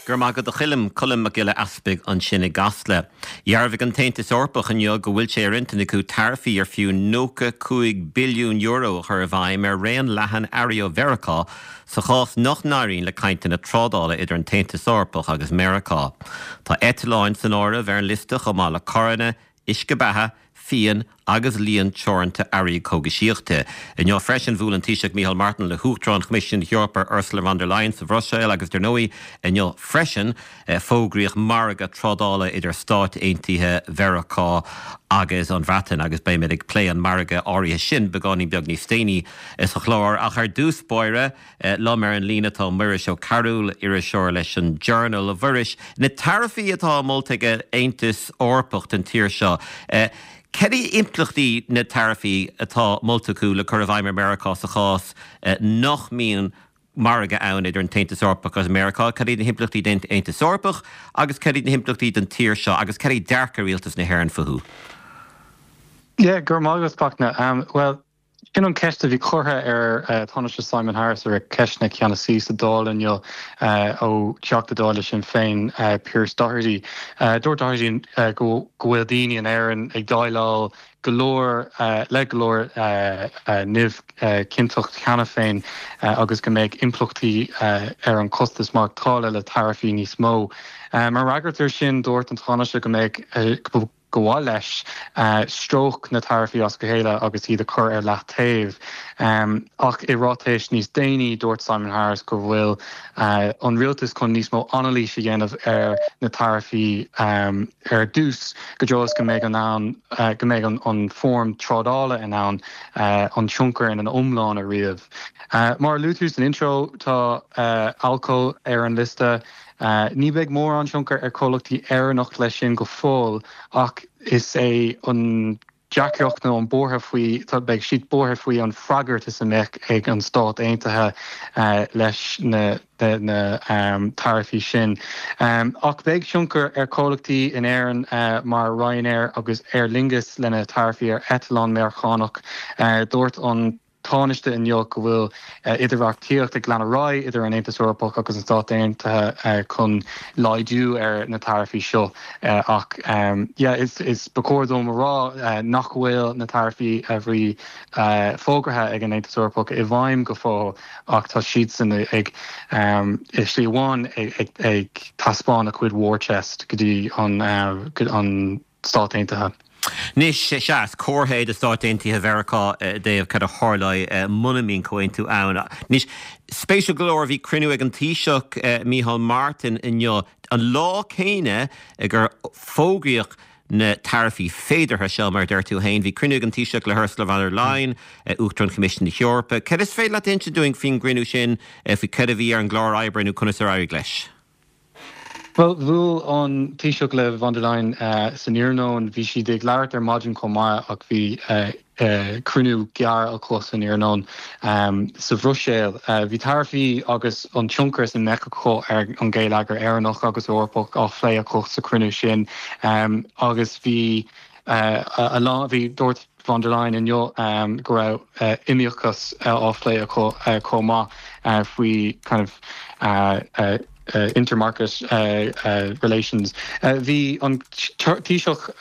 Go raibh maith agat a Choilm, Colm Mac Giolla Easpaig ansin i gCasla. Dhearbhaigh an tAontas Eorpach inniu go bhfuil sé ar intinn acu taraifí ar fiú €95 billiún a chur i bhfeidhm ar raon leathan earraí ó Mheiriceá sa chás nach n-éiríonn le cainteanna trádála idir an tAontas Eorpach agus Meiriceá. Tá eitleáin san áireamh ar an liosta chomh maith le carranna, uisce beatha, fíon agus líon teoranta earraí cógaisíochta. Inniu freisin bhuail an Taoiseach Micheál Martin le hUachtarán Choimisiún na hEorpa Ursula von der Leyen sa Bhruiséil agus dar ndóigh inniu freisin fógraíodh margadh trádála idir Stáit Aontaithe Mheiriceá agus an Bhreatain agus beimid ag plé an margadh áirithe sin beagáinín beag níos déanaí sa chlár. Ach ar dtús báire, Liom ar an líne tá Muiris Ó Cearúil, iriseoir leis an Journal. A Mhuiris, na taraifí atá molta ag an Aontas Eorpach don tír seo, cad iad impleachtaí na taraifí atá molta acu le cur i bhfeidhm ar Meiriceá sa chás nach mbíonn margadh ann idir an tAontas Eorpach agus Meiriceá? Cad iad na himpleachtaí don Aontas Eorpach agus cad iad na himpleachtaí don tír seo agus cad é dearcadh Rialtas na hÉireann fúthu? Yeah, go raibh maith agat, Fachtna. Bhuel, Sin an cheist a bhí curtha ar Tánaiste Simon Harris ar cheisteanna ceannasaí sa Dáil inniu ó Theachta Dála Sinn Féin Pearse Doherty. Dúirt Doherty go bhfuil daoine in Éirinn ag déileáil go leor le go leor neamhchinnteacht cheana féin agus go mbeidh impleachtaí ar an costas maireachtála le taraifí níos mó. Mar fhreagairt air sin, dúirt an Tánaiste go mbeadh go mhaith leis stróic na taraifí as a chéile agus iad a chur ar leataobh. Ach i ráitéis níos déanaí, dúirt Simon Harris go bhfuil an rialtas chun níos mó anailís a dhéanamh ar na taraifí ar dtús go deo is go mbeidh an ann go mbeidh an fóram trádála in ann an tionchar ina iomlán a ríomh. Mar a luaigh tú san intro, tá alcól ar an liosta. Ní bheidh mórán tionchar ar chomhlachtaí Éireannach leis sin go fóill ach is é an deacracht nó an buartha faoi, beidh siad buartha faoi an freagairt is a mbeadh ag an Stát Aontaithe leis na taraifí sin. Ach beidh tionchar ar chomhlachtaí in Éirinn mar Ryanair agus Aer Lingus lena taraifí ar eitleán Meiriceánach. Dúirt an. Tánaiste inniu go bhfuil idirbheartaíocht ag lean ar aghaidh idir an Aontas Eorpach agus an Stát Aontaithe chun laghdú ar na taraifí seo ach yeah is ba chóir dom a rá nach bhfuil na taraifí a bhí fógartha ag an Aontas Eorpach i bhfeidhm go fóill ach tá siadsan ag i slí amháin ag taispeáin a cuid war chest go dtí an an Stát Aontaithe. Anois, sea, is comhartha é do Stáit Aontaithe Mheiriceá i dtaobh cad a tharlóidh muna mbíonn comhaontú ann. Anois, spéisiúil go leor, bhí cruinniú ag an Taoiseach Micheál Martin inniu, an lá céanna gur fógraíodh na taraifí féideartha seo, mar a deir tú féin. Bhí cruinniú ag an Taoiseach le hUrsula von der Leyen, Uachtarán Choimisiún na hEorpa. Cad is féidir leat a inse dúinn faoin gcruinniú sin, faoi cad a bhí ar an gclár oibre nó conas ar éirigh leis? Bhuel, bhuail an Taoiseach le von der Leyen san iarnóin. Bhí siad ag labhairt ar maidin chomh maith ach bhí cruinniú gearr acu san iarnóin sa Bhruiséil. Bhí taraifí agus an tionchar is a mbeadh acu ar an gheilleagar Éireannach agus Eorpach á phlé acu sa chruinniú sin agus bhí a lán, bhí, dúirt von der Leyen inniu go raibh iomaíochas á phlé acu chomh maith faoi kind of intermarket relations. Bhí an Taoiseach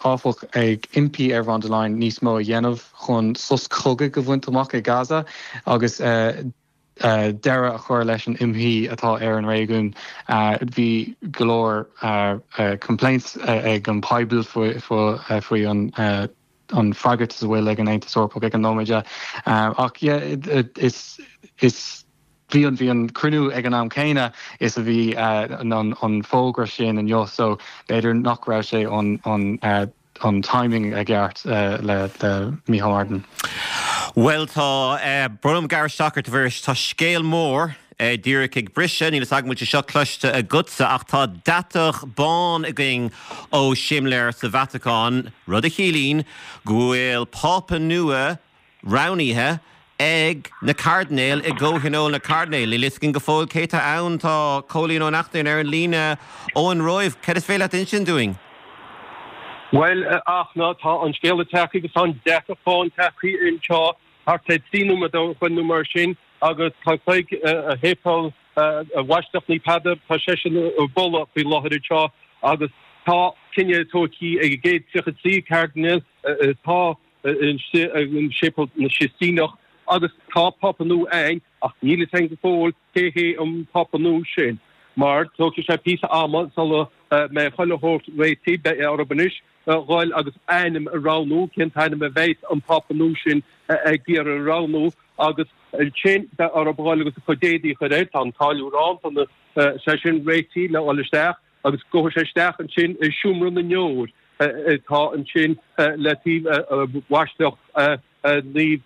áfach ag impí ar von der Leyen níos mó a dhéanamh chun sos cogaidh a bhaint amach i Gaza agus deireadh a chur leis an imshuí atá ar an réigiún. Bhí go leor complaints ag an poibil faoi an freagairt is a bhfuil ag an Aontas Eorpach ag an nóiméad. Ach yeah is is bhí an bhí an cruinniú ag an am céanna is a bhí an fógra sin inniu so b'fhéidir nach raibh sé an an an timing i gceart le Micheál Martin. Bhuel tá, brón orm gearradh isteach ort a Mhuiris, tá scéal mór díreach ag briseadh, níl fhios agam an bhfuil sé seo cloiste agatsa ach tá deatach bán againn ó shimléar sa Vatacáin, rud a chiallaíonn go bhfuil Pápa nua roghnaithe ag na cairdinéil i gComhthionól na Cairdinéal. Níl fhios againn go fóill cé tá ann. Tá Cóilín Ó Neachtain ar an líne ón Róimh. Cad is féidir leat a insint dúinn? Bhuel, a Fhachtna, tá an scéala tagtha agus tá an deatach bán tagtha anseo. Thart ar 3 nóiméad ó shoin nó mar sin agus tá cloig Shéipéal Bhaisleac Naomh Peadar, tá seisean ag bualadh faoi láthair anseo agus tá cinneadh tógtha ag an gcéad 33 cairdinéal atá istigh i Séipéal na Sistíneach agus tá Pápa nua ann ach níl fhios againn go fóill cé hé an Pápa nua sin mar tógfaidh sé píosa ama sula mbeidh chuile shórt réitithe, beidh orthu anois dhul agus ainm a roghnú, cén t-ainm a bheidh an Pápa nua sin ag iarraidh a roghnú agus ansin beidh orthu dhul agus a chuid éadaí a chur air, tá an táilliúir ann, tá na, sé sin réitithe le dhul isteach agus gabhfaidh sé isteach ansin i seomra na ndeor atá ansin le taobh Bhaisleac Naomh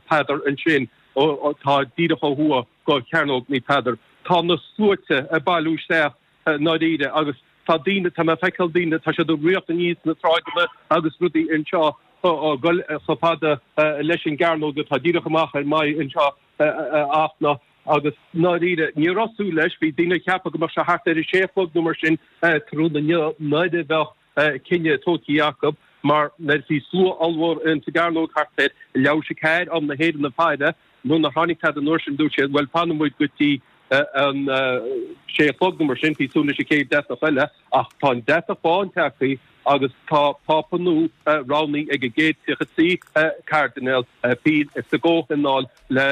Peadar ansin atá díreach ó thuaidh go Cearnóg Naomh Peadar. Tá na sluaite ag bailiú isteach i ndáiríre agus tá daoine, tá mé ag feiceáil daoine, tá siad ag ritheacht aníos na sráideanna agus rudaí anseo ag goil chomh fada leis an gcearnóg atá díreach amach ar m'aghaidh anseo a Fhachtna agus i ndáiríre ní raibh súil leis, bhí daoine ag ceapadh go mbeadh sé thart ar a sé a chlog nó mar sin tráthnóna inniu nuair a bheadh cinneadh tógtha acu mar nuair a bhí slua ollmhór ins an gcearnóg thart ar leathuair théis a ceathair am na hÉireann ag faire Nuair nár tháinig tada an uair sin, dúirt siad, bhuel, fanfaidh muid go dtí an sé a chlog nó mar sin, bhí súil leis an chéad deatach eile, ach tá an deatach bán tagtha agus tá Pápa nua roghnaithe ag an gcéad 33 cairdinéal a bhí sa gcomhthionól le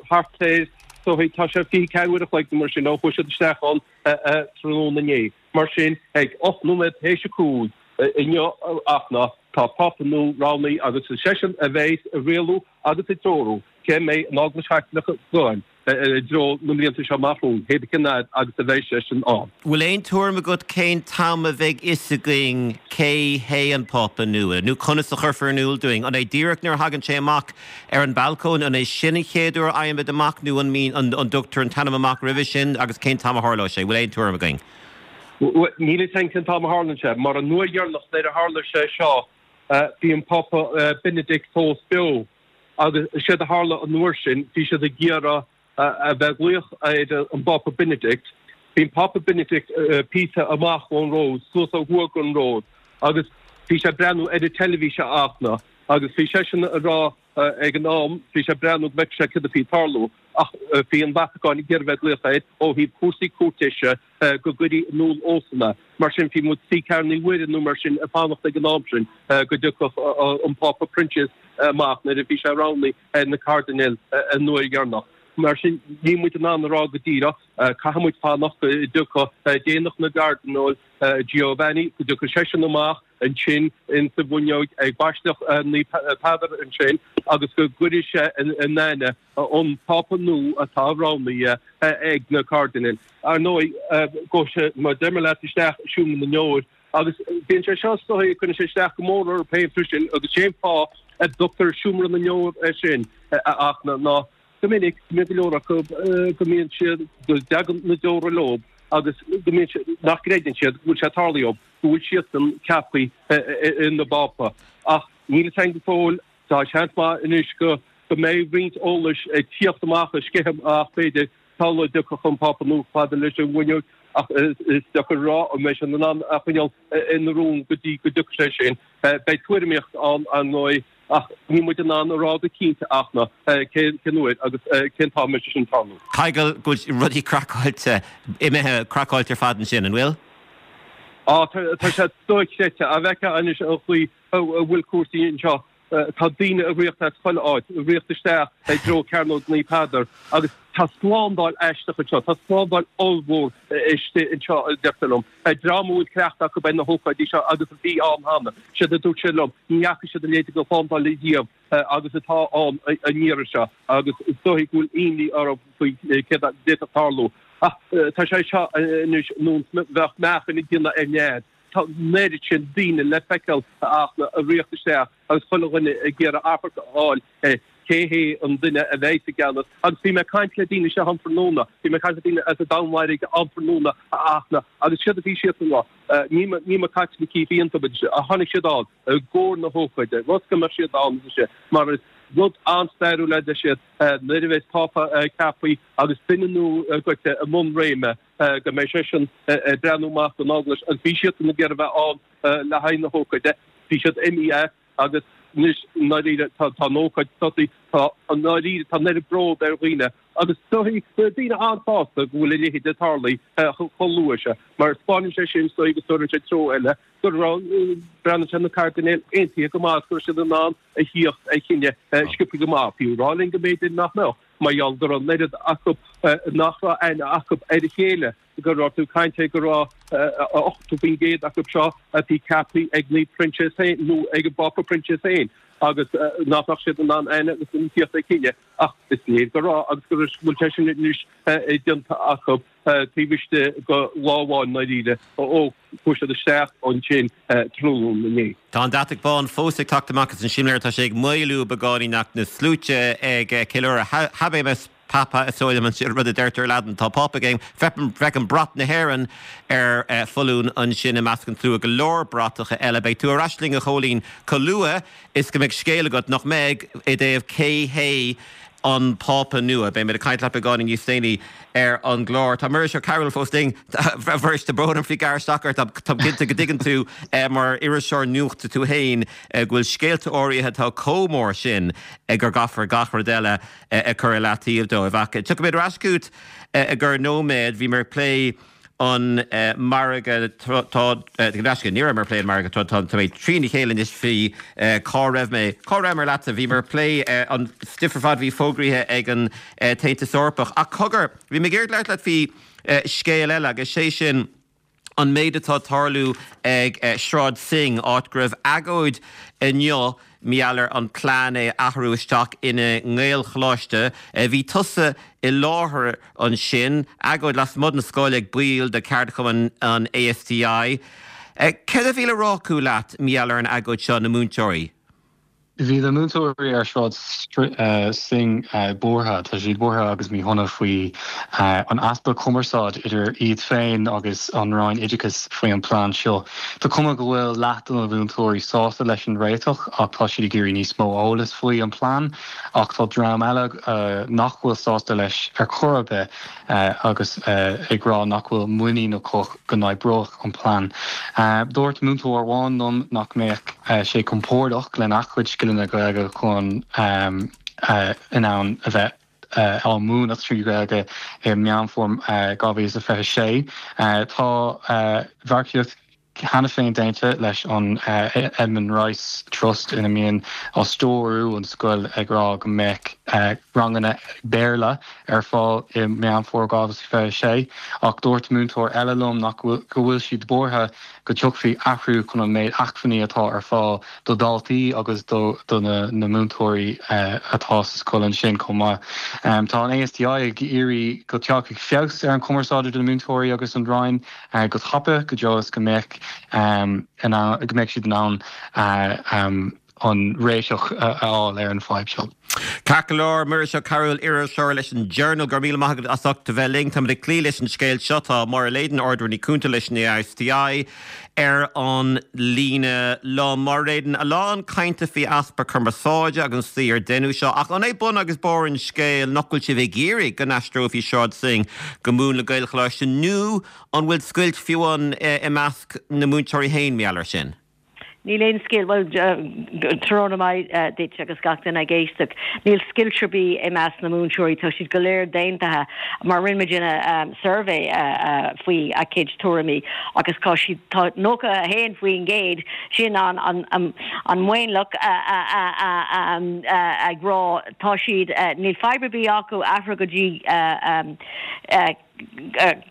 thart ar, tá sé 24 uair a chloig nó mar sin ó chuaigh siad isteach ann tráthnóna inné. Mar sin, ag 8 nóiméad théis a 5 inniu a Fhachtna, tá Pápa nua roghnaithe agus is seisean a bheas ag rialú agus ag treorú cé mbeidh an Eaglais Chaitliceach ag goil i dtreo na mblianta seo amach romhainn, cé cén fhad agus a bheidh seisean ann. Bhfuil aon tuairim agat cén t-am a bheidh fhios againn cé hé an Pápa nua, nó conas a chuirfear in iúl dúinn? An é díreach nuair a thagann sé amach ar an balcóin, an é sin an chéad uair a fhaighimid amach nó an mbíonn, an dtugtar an t-ainm amach roimhe sin agus cén t-am a tharlóidh sé? Bhfuil aon tuairim againn? Bhuel, níl fhios againn cén t-am a tharlaíonn sé, mar an uair dheireanach nuair a tharla sé seo, bhí an Pápa Benedict fós beo agus séard a tharla an uair sin, bhí siad ag iarraidh a bheith ag glaoch ar an bPápa Benedict. Bhí an Pápa Benedict píosa amach ón Róimh, suas ó thuaidh den Róimh agus bhí sé ag breathnú ar an teilifís a Fhachtna agus bhí seisean ag rá ag an am, bhí sé ag breathnú go bhfeicfeadh sé céard a bhí ag tarlú ach bhí an Vatacáin ag iarraidh a bheith ag glaoch air ó thaobh cúrsaí cúirtéise go gcuirfí in iúl dósan é. Mar sin, bhí muid suí Ceathrú Naomh Mhuire nó mar sin ag fanacht ag an am sin go dtiocfadh an Pápa Proinsias amach nuair a bhí sé roghnaithe ar na cairdinéil an uair dheireanach. Mar sin, níl muid in ann a rá go díreach, caithfidh muid fanacht go dtiocfadh Déanach na gCairdinéal, Giovanni, go dtiocfadh seisean amach ansin insa bhfuinneog ag Baisleac Naomh Peadar ansin agus go gcuirfidh sé in aithne an Pápa nua atá roghnaithe ag na cairdinéil. Ar ndóigh, gabhfaidh sé, mar deir mé leat, isteach i seomra na ndeor agus bíonn sé seo is dóigh, cuireann sé isteach go mór orthu féin freisin agus sé an fáth a dtugtar seomra na ndeor air sin a Fhachtna ná go minic go mbíonn go leor acu go mbíonn siad, go dtagann na deora leo agus go mbíonn siad, nach gcreideann siad go bhfuil sé tarlaithe dóibh, go bhfuil siadsan ceaptha ina bPápa. Ach níl fhios againn go fóill. Tá seans maith anois go mbeidh roinnt eolais ag tíocht amach, ag sceitheadh amach b'fhéidir, sula dtiocfadh an Pápa nua chomh fada leis an bhfuinneog ach is deacair a rá an mbeidh siad in ann a choinneáil ina rún go dtí go dtiocfaidh sé sin. Beidh tuairimíocht ann, ar ndóigh, ach níl muid in ann a rá go cinnte a Fhachtna cén uair agus cén t-am a mbeidh sé sin ag tarlú. Tadhg, go bhfuil rudaí craiceáilte, imithe craiceáilte ar fad ansin, an bhfuil? Á, tá sé dochreidte. An bhfeicfeá anois an chaoi a bhfuil cúrsaí anseo. Tá daoine ag ritheacht as chuile áit, ag ritheacht isteach i dtreo Cearnóg Naomh Peadar agus tá slándáil aisteach anseo, tá slándáil ollmhór istigh anseo, a deirtear liom. Dream a bhfuil cleachtadh acu ar na hócáidí seo agus a bhí ann cheana, séard a dúirt siad liom, ní fhaca siad a leithéid de shlándáil riamh agus atá ann an iarraidh seo agus is dóigh go bhfuil imní orthu faoi céard a d'fhéadfadh tarlú. Ach tá sé seo anois ar nós bheadh meáchan ag déanamh ar nead. Tá an oiread sin daoine le feiceáil a Fhachtna ag ritheacht isteach agus chuile dhuine ag iarraidh amharc a fháil ar cé hé an duine a bheidh sa gceannas. Agus bhí mé ag caint le daoine anseo um thráthnóna, bhí mé ag caint le daoine as an Danmhairg um thráthnóna a Fhachtna agus séard a bhí siadsan ag rá, ní ní na Caitlicigh iontu, ach tháinig siad ann i gcomhair na hócáide, rud go mbeadh siad ann, a deir siad, mar is rud an-stairiúil é, a deir siad, nuair a bheas Pápa ceaptha agus duine nua goite i mbun réime. go mbeidh seisean ag breathnú amach don Eaglais agus bhí siadsan ag iarraidh a bheith ann le haghaidh na hócáide. Bhí siad imithe as agus. Anois, i ndáiríre, tá an ócáid tosaithe, tá, i ndáiríre, tá an oiread bród ar dhaoine agus tá daoine an-sásta go bhfuil a leithéid ag tarlú chomh luath seo, mar 'spáineann sé sin, is dóigh, agus tabharann sé treo eile go raibh, breathnaíonn sé na cairdinéil aontaithe go maith agus go raibh siad in ann a thíocht ar chinneadh sciobtha go maith, fiú rá linn go mb'fhéidir nach mbeadh, mar gheall go raibh an oiread acu nach raibh aithne acu ar a chéile. go raibh tú ag caint ar go raibh 80% acu seo a bhí ceaptha ag Naomh Proinsias féin nó ag an bPápa Proinsias féin agus nach mbeadh siad in ann aithne agus an tíocht ag cinneadh ach is léir go raibh agus go bhfuil sé sin anois déanta acu taobh istigh de lá amháin ndáiríre ó chuaigh siad isteach ansin tráthnóna inné. Tá an deatach bán fós ag teacht amach as an simléar, tá sé ag maolú beagáinín ach na sluaite ag ceiliúradh Habemus Papam, is dóigh liom an rud a deirtear i Laidin. Tá Pápa againn. Feicim brat na hÉireann ar foluain ansin i measc an tslua. Go leor bratacha eile. Beidh tú ar ais linn, a Chóilín, chomh luath is go mbeidh scéal agat, nach mbeidh, i dtaobh cé hé an Pápa nua. Beidh muid ag caint leat beagáinín níos déanaí ar an gclár. Tá Muiris Ó Cearúil fós linn. A Mhuiris, tá brón orm faoi gearradh isteach ort. Táim cinnte go dtuigeann tú, mar iriseoir nuachta tú féin, go bhfuil scéalta áirithe atá chomh mór sin gur gcaithfear gach rud eile a chur i leataobh dóibh. Ach tiocfaimid ar ais chugat i gcorr nóiméad. Bhíomar ag plé an margadh tá, ní rabhamar ag plé an margadh tá, tá mé trína chéile anois faoi cá raibh mé. Cá rabhamar leatsa? Bhíomar ag plé an stuif ar fad a bhí fógraithe ag an tAontas Eorpach. Ach cogar, bhí mé ag iarraidh labhairt leat faoi scéal eile agus sé sin, an méid atá ag tarlú ag Sráid Synge, áit go raibh agóid inniu mar gheall ar an plean é a athrú isteach ina nGaelcholáiste. Bhí tusa i láthair ansin, agóid lasmuigh den scoil ag baill de cheardchumann an ASTI. Céard a bhí le rá acu leat mar gheall ar an agóid seo, na múinteoirí? Bhí na múinteoirí ar Shráid Synge buartha, tá siad buartha agus míshona faoi an easpa cumarsáid idir iad féin agus an Roinn Oideachais faoi an plean seo. Tá cuma go bhfuil leath de na múinteoirí sásta leis an réiteach ach tá siad ag iarraidh níos mó eolais faoi an plean ach tá dream eile nach bhfuil sásta leis ar chor ar bith agus ag rá nach bhfuil muinín acu go n-oibreoidh an plean. Dúirt múinteoir amháin liom nach mbeadh sé compordach lena chuid scileanna Gaeilge chun in ann a bheith á múineadh trí Ghaeilge i Meán Fómhair 2026. Tá margaíocht cheana féin déanta leis an Edmund Rice Trust ina mbíonn á stiúrú an scoil ag rá go mbeadh ranganna Béarla ar fáil i Meán Fómhair 2026 ach dúirt múinteoir eile liom nach go bhfuil siad buartha go dtiocfaidh athrú chun an méid acmhainní atá ar fáil do dhaltaí agus do na múinteoirí atá sa scoil ansin chomh maith. Tá an ASTI ag iarraidh go dtiocfaidh feabhas ar an chumarsáid idir na múinteoirí agus an Roinn. go tapa go deo is go mbeadh go mbeadh siad in ann an réiteach a fháil ar an bhfadhb seo. Ceart go leor, Muiris Ó Cearúil, iriseoir leis an Journal, go raibh míle maith agat as ucht a bheith linn. Táimid ag cloí leis an scéal seo. Tá Máire Leyden, Ard-Rúnaí Cúnta leis an ASTI, ar an líne liom. Máire Leyden, a lán cainte faoi easpa cumarsáide agus an tslí ar deineadh seo, ach an é bun agus barr an scéil nach bhfuil sibh ag iarraidh go n-aistreofaí Sráid Synge go múnla Gaelcholáiste nó an bhfuil scoilt fiú ann i measc na múinteoirí féin mar gheall air sin? Níl aon scoilt, bhuel, tráthnóna maith duit agus gach duine ag éisteacht. Níl scoilt ar bith i measc na múinteoirí, tá siad go léir aontaithe mar rinne muidinne suirbhé faoi a gcuid tuairimí agus tá siad, tá 91% sin an an mionlach ag rá tá siad, níl fadhb ar bith acu athrú go dtí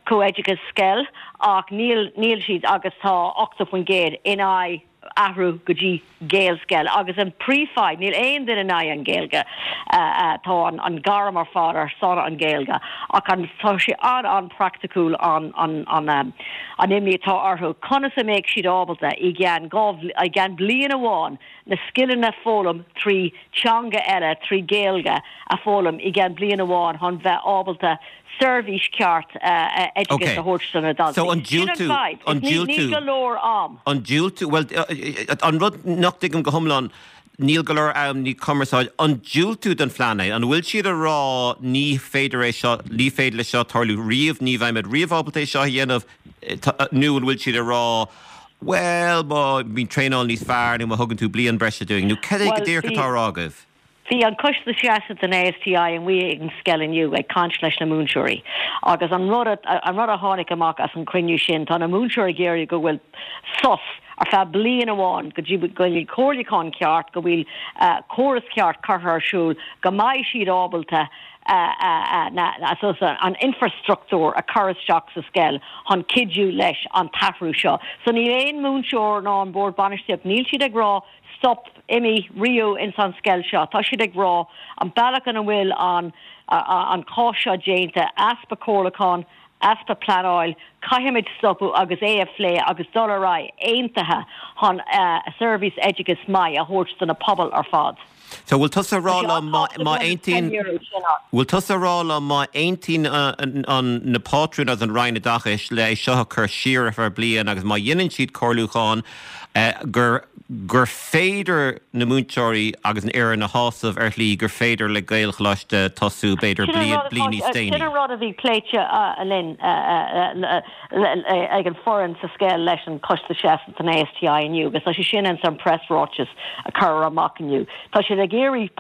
comhoideachas scoil ach níl níl siad agus tá 80% in aghaidh athrú go dtí Gaelscoil agus an príomhfhadhb níl aon duine in aghaidh an Ghaeilge tá an an gairm ar fad ar son an Ghaeilge ach an tá sé an an-praiticiúil an an an an imní atá orthu conas a mbeidh siad ábalta i gceann i gceann bliain amháin na scileanna foghlaim 3 teanga eile 3 Gaeilge a foghlaim i gceann bliain amháin chun bheith ábalta seirbhís ceart oideachais a thabhairt do na daltaí. So an Sin an diúltú, fadhb. an Is níl, níl diúltú, go leor am. an diúltú, bhuel, an rud nach dtuigim go hiomlán, níl go leor am, níl cumarsáid, an diúltú don phlean é? An bhfuil siad ag rá ní féidir é seo, ní féidir leis seo tarlú riamh, ní bheimid riamh ábalta é seo a dhéanamh, nó an bhfuil siad ag rá. Bhuel, má bhíonn traenáil níos fearr nó má thugann tú bliain breise dúinn, nó cad é go díreach atá á rá agaibh? Bhí an Coiste Feasa den ASTI amuigh ag an scoil inniu ag caint leis na múinteoirí agus an rud an rud a tháinig amach as an chruinniú sin, tá na múinteoirí ag iarraidh go bhfuil sos ar feadh bliain amháin go dtí go bhfuil comhairliúchán ceart, go bhfuil córas ceart curtha ar siúl, go mbeidh siad ábalta an infrastruchtúr a chur isteach sa scoil chun cuidiú leis an t-athrú seo. So níl aon múinteoir ná an bord bainistíocht, níl siad ag rá stop, imigh, riamh ins an scoil seo. Tá siad ag rá an bealach ina bhfuil an an cás seo déanta, easpa comhairliúchán, easpa pleanáil, caithfimid stopadh agus é a phlé agus dul ar aghaidh aontaithe chun seirbhís oideachais maith a thabhairt do na pobail ar fad. So bhfuil tusa ag rá liom má aontaíonn, bhfuil tusa ag rá liom má aontaíonn an, na pátrúin agus an Roinn Oideachais le é seo a chur siar ar feadh bliain agus má dhéanann siad comhairliúchán gur, gur féidir na múinteoirí agus an fhoireann a shásamh ar shlí gur féidir le Gaelcholáiste tosú b'fhéidir bliain, bliain níos déanaí? Sin an rud a bhí pléite linn. ag an foireann sa scoil leis an Choiste Seasta den ASTI inniu agus tá sé sin ins an preasráiteas a cuireadh amach inniu. Tá siad ag iarraidh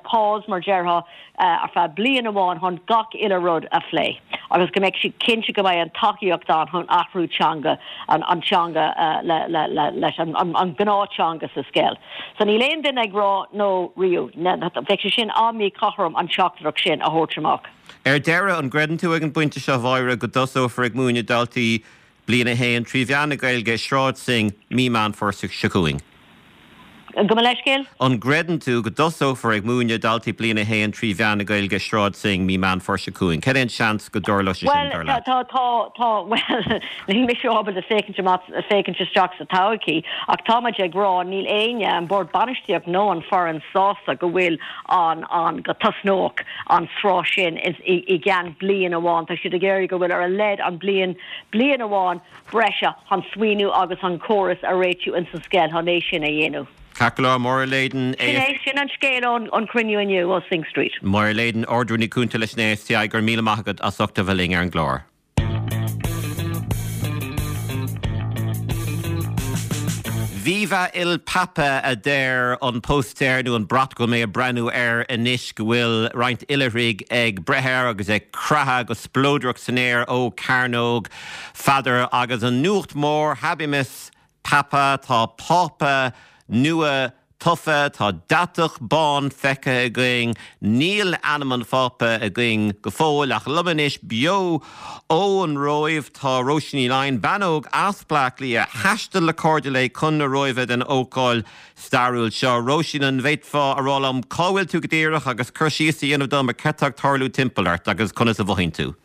pause mar déarfá ar feadh bliain amháin chun gach uile rud a phlé agus go mbeidh siad cinnte go mbeidh an tacaíocht ann chun athrú teanga an teanga leis an gnáth-teanga sa scoil. So níl aon duine ag rá no riamh. Bheadh sé sin an-mhíchothrom an teachtaireacht sin a thabhairt amach. Ar deireadh, an gcreideann tú ag an bpointe seo, a Mháire, go dtosófar ag múineadh daltaí Bliain 1 trí mheán na Gaeilge i Sráid Synge mí Meán Fómhair seo chugainn? Gabh mo leithscéal? An gcreideann tú go dtosófar ag múineadh daltaí Bliain 1 trí mheán na Gaeilge i Sráid Synge mí Meán Fómhair seo chugainn? Cad é an seans go dtarlóidh sé sin, dar leat? Bhuel, tá, tá, tá, bhuel, níl mise ábalta féachaint amach, féachaint isteach sa todhchaí, ach tá muid ag rá, níl éinne, an Bord Bainistíocht nó an foireann sásta go bhfuil an, an, go tosnódh an sraith sin i gceann bliain amháin. Tá siad ag iarraidh go bhfuil ar a laghad an bliain, bliain amháin breise chun smaoineamh agus an córas a réitiú ins an scoil chun é sin a dhéanamh. Ceart go leor, Máire Leyden, Sin é, sin an scéal ón an cruinniú inniu ó Synge Street. Máire Leyden, Ard-Rúnaí Cúnta leis an ASTI, go raibh míle maith agat as ucht a bheith linn ar an gclár. Viva il Papa a deir an póstaer nó an brat go bhfuil mé ag breathnú air anois go bhfuil roinnt oilithrigh ag breith air agus ag croitheadh go spleodrach san aer ó Cearnóg Pheadair agus an nuacht mhór Habemus Papam, tá Pápa nua tofa, tá deatach bán feicthe againn, níl ainm an Phápa againn go fóill, ach liom anois beo ón Róimh tá Róisín Ní Laighin, bean óg as Bleá Cliath, a thaistil le cairde léi chun na Róimhe don ócáid stairiúil seo. Róisín, an bhféadfá a rá liom cá bhfuil tú go díreach agus cur síos a dhéanamh dom ar cad tá ag tarlú timpeall ort agus conas a mhothaíonn tú?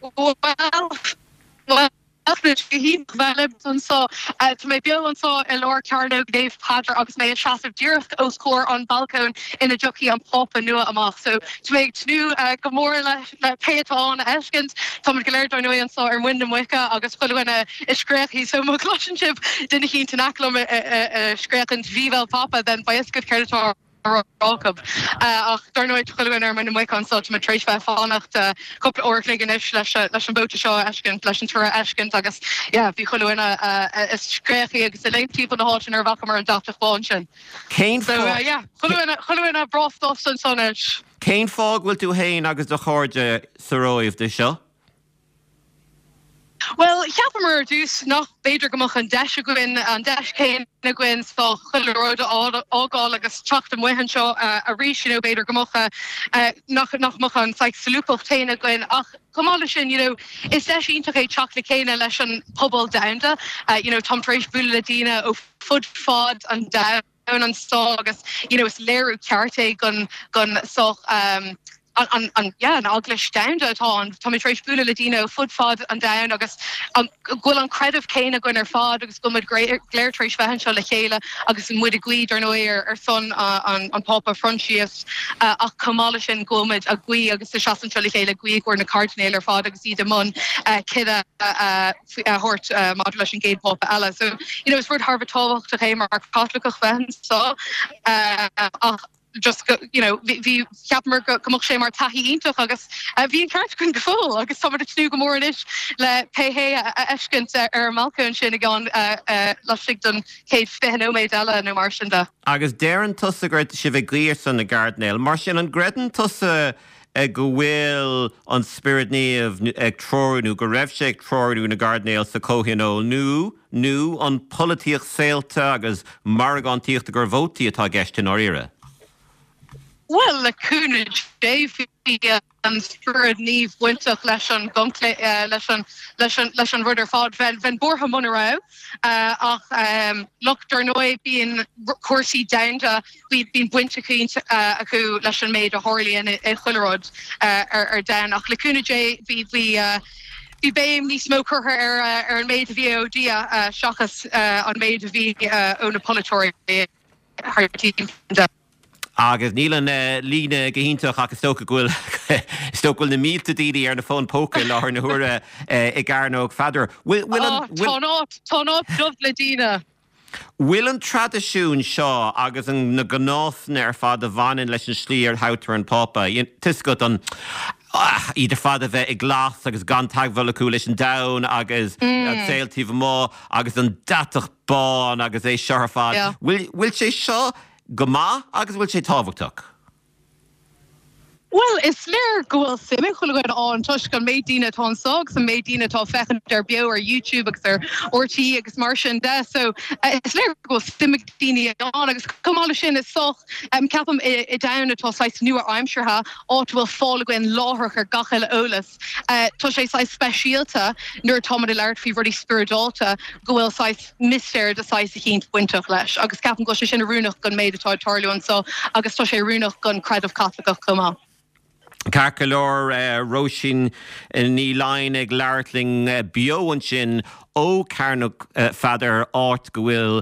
Bhuel, Tá sé go hiontach bheith libh anseo. Tá mé beo anseo i lár Cearnóg Naomh Peadar agus mé ag seasamh díreach os comhair an balcóin ina dtiocfaidh an Pápa nua amach. So tá mé ag tnúth go mór le pé atá ann a fheiscint. Táimid go léir dar ndóigh anseo ar muin na muice agus chuile dhuine ag scréachaigh so má chloiseann sibh duine eicínt in aice liom ag scréachaint Viva il Papa then beidh fhios agaibh céard atá á rá acu. Ach dar ndóigh, tá chuile dhuine ar muin na muice anso, tá muid tar éis bheith ag fanacht cúpla uair a chloig anois leis leis an vóta seo a fheiscint, leis an toradh a fheiscint agus yeah, bhí chuile dhuine ag scréachaigh agus ag léim timpeall na háite nuair a bhfacamar an deatach bán sin. Cén So fáth yeah, chuile dhuine, chuile dhuine breá sásta anso anois. Cén fáth go bhfuil tú féin agus do chairde sa Róimh do seo? Bhuel, cheapamar ar dtús nach b'fhéidir go mbeadh an deis againn, an deis chéanna againn so chuile rud a fhágáil agus teacht amuigh anseo arís, you know, b'fhéidir go mbeadh, nach, nach mbeadh an saghas solúbthacht chéanna againn ach chomh maith leis sin, you know, is deis iontach é teacht le chéile leis an pobal domhanda, you know, táim tar éis bualadh le daoine ó fud fad an domhain. anso agus you know is léiriú ceart é gon gon sách um, an, an, yeah, an eaglais domhanda atá ann. Tá mé tar éis bualadh le daoine ó fud fad an domhain agus an, go bhfuil an creideamh céanna againn ar fad agus go bhfuil muid go léir tar éis bheith anseo le chéile agus muid ag guí dar ndóigh ar, ar son an, an Phápa Proinsias uh, ach chomh maith leis sin go bhfuil muid ag guí agus ag seasamh anseo le chéile ag guí i gcomhair na cairdinéil ar fad agus iad i mbun uh, cinneadh uh, a thabhairt maidir leis an gcéad Phápa eile. So, you know, is rud thar a bheith tábhachtach é mar Chaitliceach bheith anseo ach. Just go, you know, bhí, cheapamar go mbeadh sé mar taithí iontach agus bhí an ceart againn go fóill agus táimid ag tnúth go mór anois le pé hé a fheiscint ar an mbalcóin sin i gceann laistigh den chéad 20 nóiméad eile nó mar sin de. Agus deireann tusa go raibh sibh ag guí ar son na gcairdinéal. Mar sin, an gcreideann tusa go bhfuil an Spiorad Naomh ag treorú nó go raibh sé ag treorú na gcairdinéal sa chomhthionól nó, nó an polaitíocht saolta agus margántaíocht i gcomhair vótaí atá i gceist i ndáiríre? Bhuel, le cúnamh Dé, bhí an Spiorad Naomh bainteach leis an gconclave, leis an, leis an, leis an rud ar fad. Bheinn, bheinn buartha muna raibh. Ach, look, dar ndóigh, bíonn cúrsaí domhanda, bíonn baint eicínt acu leis an méid a tharlaíonn i chuile rud ar, ar domhan. Ach le cúnamh Dé, bhí, bhí, Bhí béim níos mó curtha ar ar an méid a bhí ó Dhia seachas an méid a bhí ó na polaiteoirí thar timpeall. Agus níl an líne go hiontach ach is dócha go bhfuil is dócha go bhfuil na mílte daoine ar na fóin póca i láthair na huaire i gCearnóg Pheadair. Bhfuil bhfuil an Tá an áit tá an áit dubh le daoine. Bhfuil an traidisiún seo agus na gnásanna ar fad a bhaineann leis an slí ar thoghtar an Pápa, tá 'fhios agat, an, iad ar fad a bheith i glas agus gan teagmháil acu leis an domhan agus an saol taobh amuigh agus an deatach bán agus é seo ar fad, bhfuil sé seo go maith agus bhfuil sé tábhachtach? Bhuel, is léir go bhfuil suim ag chuile dhuine ann toisc an méid daoine atá anseo agus an méid daoine atá ag féachaint air beo ar YouTube agus ar RTÉ agus mar sin de. So, is léir go bhfuil suim ag daoine ann agus chomh maith leis sin is sách, ceapaim, i domhan atá saghas nua-aimseartha, áit a bhfuil fáil againn láithreach ar gach uile eolas, tá sé saghas speisialta nuair atáimid ag labhairt faoi rudaí spioradálta go bhfuil saghas mistéir de saghas eicínt bainteach leis agus ceapaim go bhfuil sé sin oiriúnach don méid atá ag tarlú anseo agus tá sé oiriúnach don chreideamh Caitliceach chomh maith. Ceart go leor, Róisín Ní Laighin ag labhairt linn beo ansin ó Chearnóg Pheadair, áit go bhfuil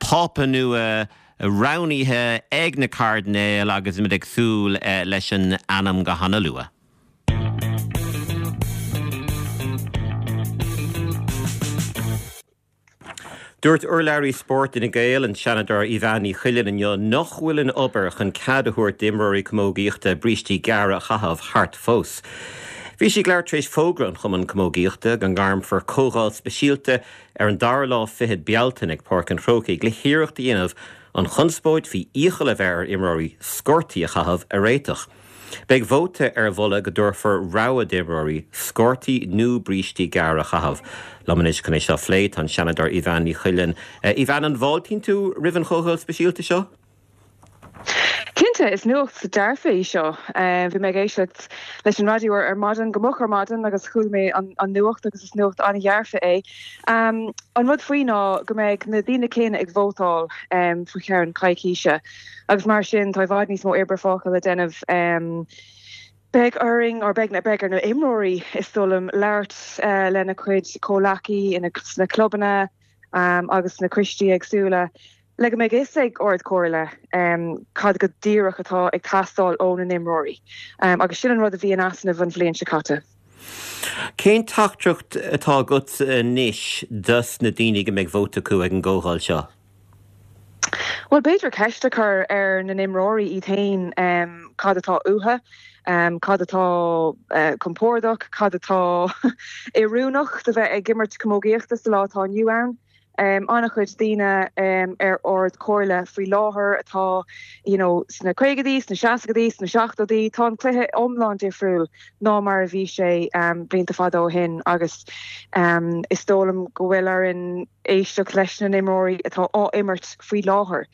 Pápa nua roghnaithe ag na cairdinéil agus muid ag súil leis an ainm go hana-luath. Dúirt urlabhraí spóirt Fhine Gael, an Seanadóir Evanne Ní Chuilinn inniu nach bhfuil an obair chun cead a thabhairt d'imreoirí camógaíochta brístí gearra a chaitheamh thart fós. Bhí sí ag labhairt tar éis fógra an Chumainn Camógaíochta go ngairmfear comhdháil speisialta ar an dara lá fichead Bealtaine ag Páirc an Chrócaigh le hiarracht a dhéanamh an chonspóid faoi iachall a bheith ar imreoirí sciortaí a chaitheamh a réiteach. Beidh vóta ar mholadh go dtabharfar rogha d'imreoirí sciortaí nó brístí gearra a chaitheamh. Liom anois chun é seo a phlé tá an Seanadóir Evanne Ní Chuilinn. Evanne, an bhfáiltíonn tú roimh an chomhdháil speisialta seo? Cinnte, is nuacht dearfa í seo. Bhí mé ag éisteacht leis an raidió ar maidin, go moch ar maidin agus chuala mé an nuacht agus is nuacht an-dhearfa é. An rud faoi ná go mbeidh na daoine céanna ag vótáil faoi cheann coicíse. Agus mar sin, tá i bhfad níos mó oibre fágtha le déanamh. Beidh orainn, or beidh, beidh ar na imreoirí, is dóigh liom, labhairt lena gcuid comhleacaí sna clubanna agus sna coistí éagsúla le go mbeidh fhios ag Ard Chomhairle cad go díreach atá ag teastáil ó na n-imreoirí. Agus sin an rud a bhí in easnamh an bhliain seo caite. Cén teachtaireacht atá agat anois dos na daoine go mbeidh vóta acu ag an gcomhdháil seo? Bhuel, b'fhéidir ceist a chur ar na n-imreoirí iad féin cad atá uathu, cad atá compordach, cad atá oiriúnach do bheith ag imirt camógaíochta sa lá atá inniu ann. An-chuid daoine ar Ard Chomhairle faoi láthair atá you know sna caogaidí, sna seascaidí, sna seachtóidí, tá an cluiche iomlán difriúil ná mar a bhí sé blianta fada ó shin agus is dóigh liom go bhfuil orainn éisteacht leis na n-imreoirí atá á imirt faoi láthair.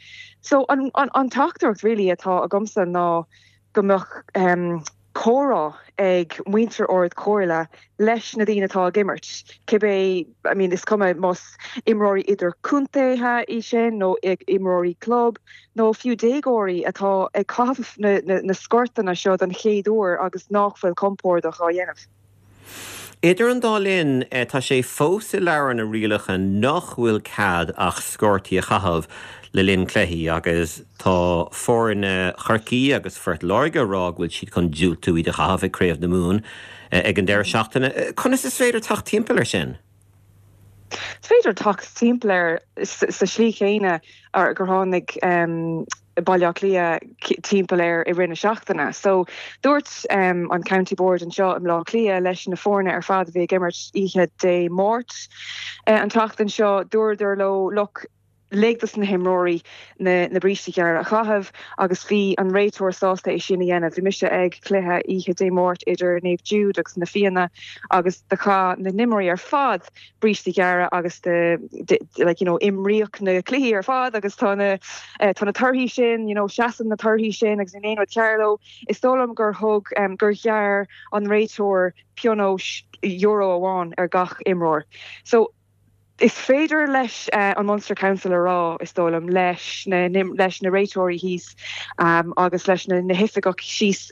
So an an teachtaireacht really atá agamsa ná go mbeadh comhrá ag muintir Ard Chomhairle leis na daoine atá ag imirt, cibé, I mean is cuma más imreoirí idirchontaetha í sin nó imreoirí club nó fiú déagóirí atá ag caitheamh na na na sciortanna seo don chéad uair agus nach bhfuil compordach á dhéanamh. Idir an dá linn, tá sé fós i leabhar na rialacha nach bhfuil cead ach sciortaí a chaitheamh le linn cluichí agus tá foirne Chorcaí agus Phort Láirge ag rá go bhfuil siad chun diúltú iad a chaitheamh ag Craobh na Mumhan ag an deireadh seachtaine. Conas is féidir teacht timpeall air sin? Is féidir teacht timpeall air sa slí chéanna gur tháinig. Baile Átha Cliath timpeall air i rith na seachtaine. So dúirt an County Board anseo i mBleá Cliath leis na foirne ar fad a bhí ag imirt oíche Dé Máirt an tseachtain seo, dúradar leo, look, lig dos na himreoirí na na brístí gearra a chaitheamh agus bhí an réiteoir sásta é sin a dhéanamh. Bhí mise ag cluiche oíche Dé Máirt idir Naomh Jude agus Na Fianna agus do chaith na n-imreoirí ar fad brístí gearra agus do like you know imríodh na cluichí ar fad agus tá na tá na torthaí sin you know seasann na torthaí sin agus níl aon rud cearr leo. Is dóigh liom gur thug gur ghearr an réiteoir pionóis euro amháin ar gach imreoir. So Is féidir leis an Munster Council a rá, is dóigh liom, leis na leis na réiteoirí thíos agus leis na hoifigigh síos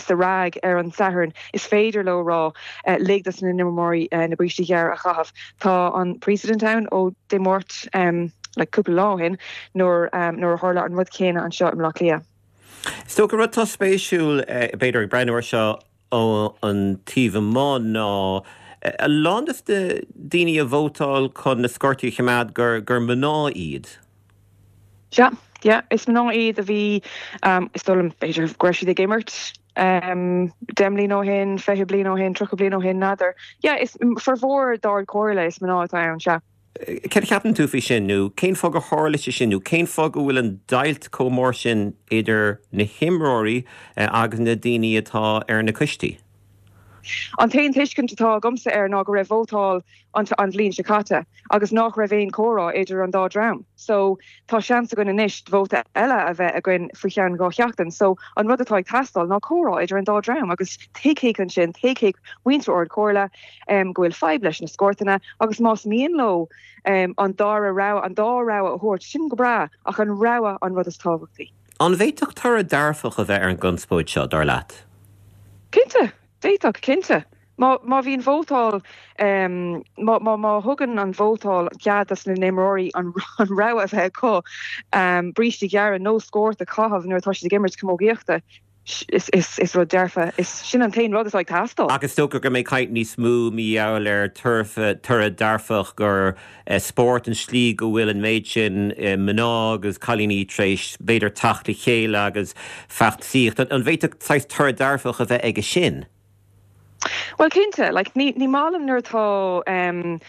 sa RAG ar an Satharn, is féidir leo rá, lig dos na n-imreoirí na brístí gearra a chaitheamh. Tá an precedent ann ó Dé Máirt, like cúpla lá ó shin, nuair nuair a tharla an rud céanna anseo i mBleá Cliath. Is dócha rud atá spéisiúil, b'fhéidir, ag breathnú air seo, ón taobh amuigh ná a lán de na daoine a vótáil chun na scortaí a choimeád gur gur mná iad. Sea, yeah, is mná iad a bhí, is dóigh liom, b'fhéidir go raibh siad ag imirt 10 mbliana ó shin, 20 bliain ó shin, 30 bliain ó shin, n'fheadar. Yeah, is formhór d'Ard Chomhairle is mná atá ann, sea. Céard a cheapann tú faoi sin, nó cén fáth gur tharla sé sin, nó cén fáth go bhfuil an deighilt chomh mór sin idir na himreoirí agus na daoine atá ar na coistí? An t-aon tuiscint atá agamsa air ná go raibh vótáil an bhliain seo caite agus nach raibh aon chomhrá idir an dá dream. So, tá seans againn anois vóta eile a bheith againn faoi cheann 2 sheachtain. So, an rud atá ag teastáil ná comhrá idir an dá dream agus tuigfidh ansin, tuigfidh muintir Ard Chomhairle, go bhfuil fadhb leis na scórtanna agus más mian leo an dara rogha, an dá rogha a thabhairt, sin go breá ach an rogha an rud is tábhachtaí. An bhféadfadh toradh dearfach a bheith ar an gconspóid seo, dar leat? Cinnte, d'fhéadfadh, cinnte. Má, má bhíonn vótáil, má, má, má thugann an vótáil cead dos na n-imreoirí an, an rogha a bheith acu brístí gearra nó scórt a chaitheamh nuair atá siad ag imirt camógaíochta, Is rud dearfa. Is sin an t-aon rud atá ag teastáil. Ach is dócha go mbeidh caint níos mó mar gheall ar toradh dearfach gur spórt an tslí go bhfuil an méid sin mná agus cailíní tar éis b'fhéidir teacht le chéile agus feachtasaíocht. An bhféadfadh saghas toradh dearfach a bheith aige sin? Bhuel cinnte, like ní ní maith liom nuair atá em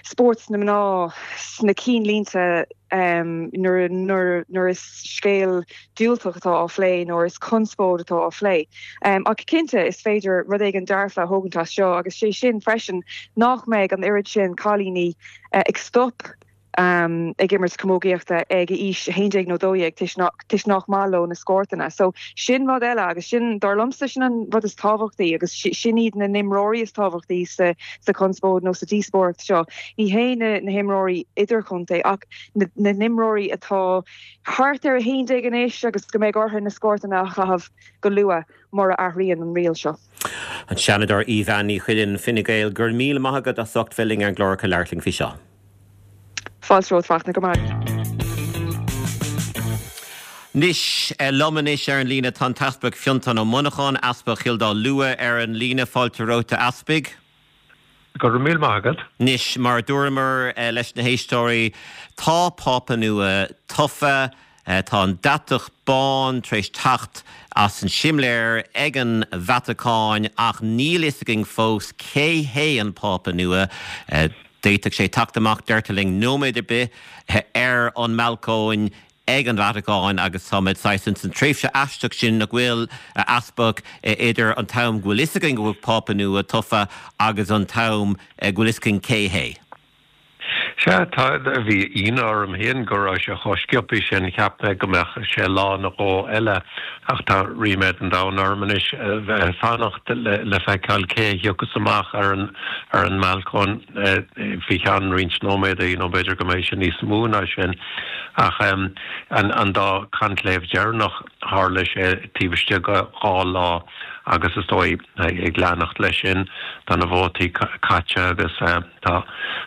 spórt na mná sna cinnlínte em nuair nuair nuair is scéal diúltach atá á phlé nó is conspóid atá á phlé. Em ach cinnte is féidir rud éigin dearfa a thógaint as seo agus sé sin freisin nach mbeidh an oiread sin cailíní ag stop ag imirt camógaíochta ag aois 11 nó 12 toisc nach maith leo na scórtanna. So sin rud eile agus sin, dar liomsa, sin an rud is tábhachtaí agus sin iad na n-imreoirí is tábhachtaí sa sa chonspóid nó sa díospóireacht seo. Ní hé na na himreoirí idirchontae ach na na n-imreoirí atá thart ar 11 anois agus go mbeidh orthu na scórtanna a chaitheamh go luath mura athraíonn an riail seo. An Seanadóir Evanne Ní Chuilinn, Fine Gael, go raibh míle maith agat as ucht bheith linn ar an gclár ag labhairt linn faoi seo. Fáilte romhat, Fachtna, go maith. Anois, liom anois ar an líne tá an tEaspag Fionntán Ó Monacháin, Easpag Chill Dá Lua ar an líne. Fáilte romhat, a Easpaig. Go raibh míle maith agat. Anois, mar a dúramar leis na héisteoirí, tá Pápa nua tofa. Tá an deatach bán tar éis teacht as an simléar ag an Vatacáin ach níl fhios againn fós cé hé an Pápa nua. D'fhéadfadh sé teacht amach, deirtear linn, nóiméad ar bith ar an mbalcóin ag an Vatacáin agus táimid saghas ins an tréimhse aisteach sin nach bhfuil, a Easpaig, idir an t-am go bhfuil fhios againn go bhfuil Pápa nua tofa agus an t-am go bhfuil fhios againn cé hé. Sea, tá, bhí ionadh orm féin go raibh sé chomh sciobtha sin, cheap mé go mbeadh sé lá nó dhó eile ach tá ríméad an domhain orm anois fanacht le feiceáil cé a thiocfas amach ar an ar an mbalcóin faoi cheann roinnt nóiméadaí nó b'fhéidir go mbeidh sé níos mó ná sin. Ach an an dá conclave deireanach tharla sé taobh istigh de dhá lá agus is dóigh ag leanacht leis sin tá na vótaí caite agus. Tá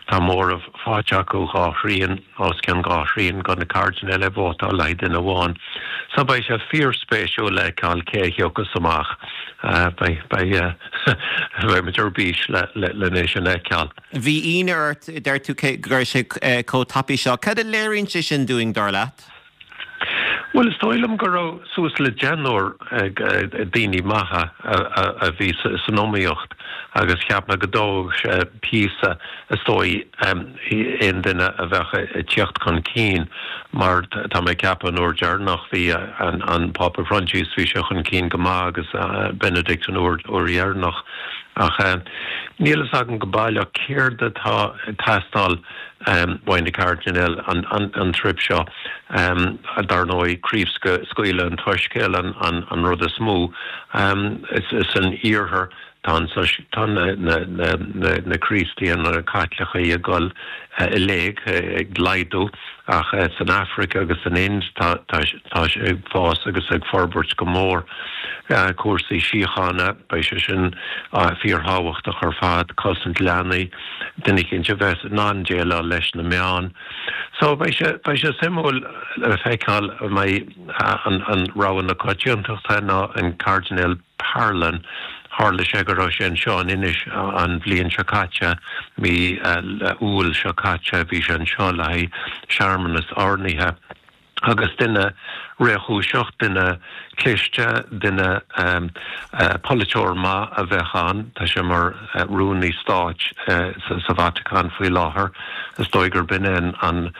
tá móramh faighte acu, dhá thrian, os cionn dhá thrian de na cairdinéil ag vótáil le haghaidh duine amháin. So beidh sé fíorspéisiúil le feiceáil cé a thiocfas amach. Beidh beidh beidh muid ar bís le le é sin a fheiceáil. Bhí ionadh ort, deir tú, go raibh sé chomh tapaidh seo. Cad a léiríonn sé sin dúinn, dar leat? Bhuel, is dóigh liom go raibh suas le deichniúr daoine maithe a bhí san iomaíocht agus cheap mé go dtógfadh sé píosa, is dóigh, aon duine a bheadh ag tíocht chun cinn mar tá mé ag ceapadh an uair deireanach bhí an Pápa Proinsias, bhí sé chun cinn go maith agus Benedict an uair dheireanach ach níl fhios agam go baileach céard atá ag teastáil uaidh na cairdinéil an trip seo. Dar ndóigh, craobhscaoileadh an tSoiscéil an rud is mó. San iarthar tá na Críostaithe, na Caitlicigh ag dul i léig, ag laghdú, ach san Afraic agus san Ind tá sé ag fás agus ag forbairt go mór. Cúrsaí síochána, beidh sé sin fíorthábhachtach ar fad, cosaint leanaí. duine eicínt a bheas in ann déileáil leis na meáin. So beidh sé, beidh sé suimiúil le feiceáil an mbeidh an, an rogha na coitiantachta ná an Cairdinéal Parolin. Tharla sé go raibh sé anseo in Inis an bhliain seo caite, mí Iúil seo caite, bhí sé anseo le haghaidh searmanas oirnithe. Agus duine réchúiseach, duine cliste, duine polaiteoir maith a bheadh ann. Tá sé mar rúnaí stáit sa Vatacáin faoi láthair. Is dóigh gurb in é an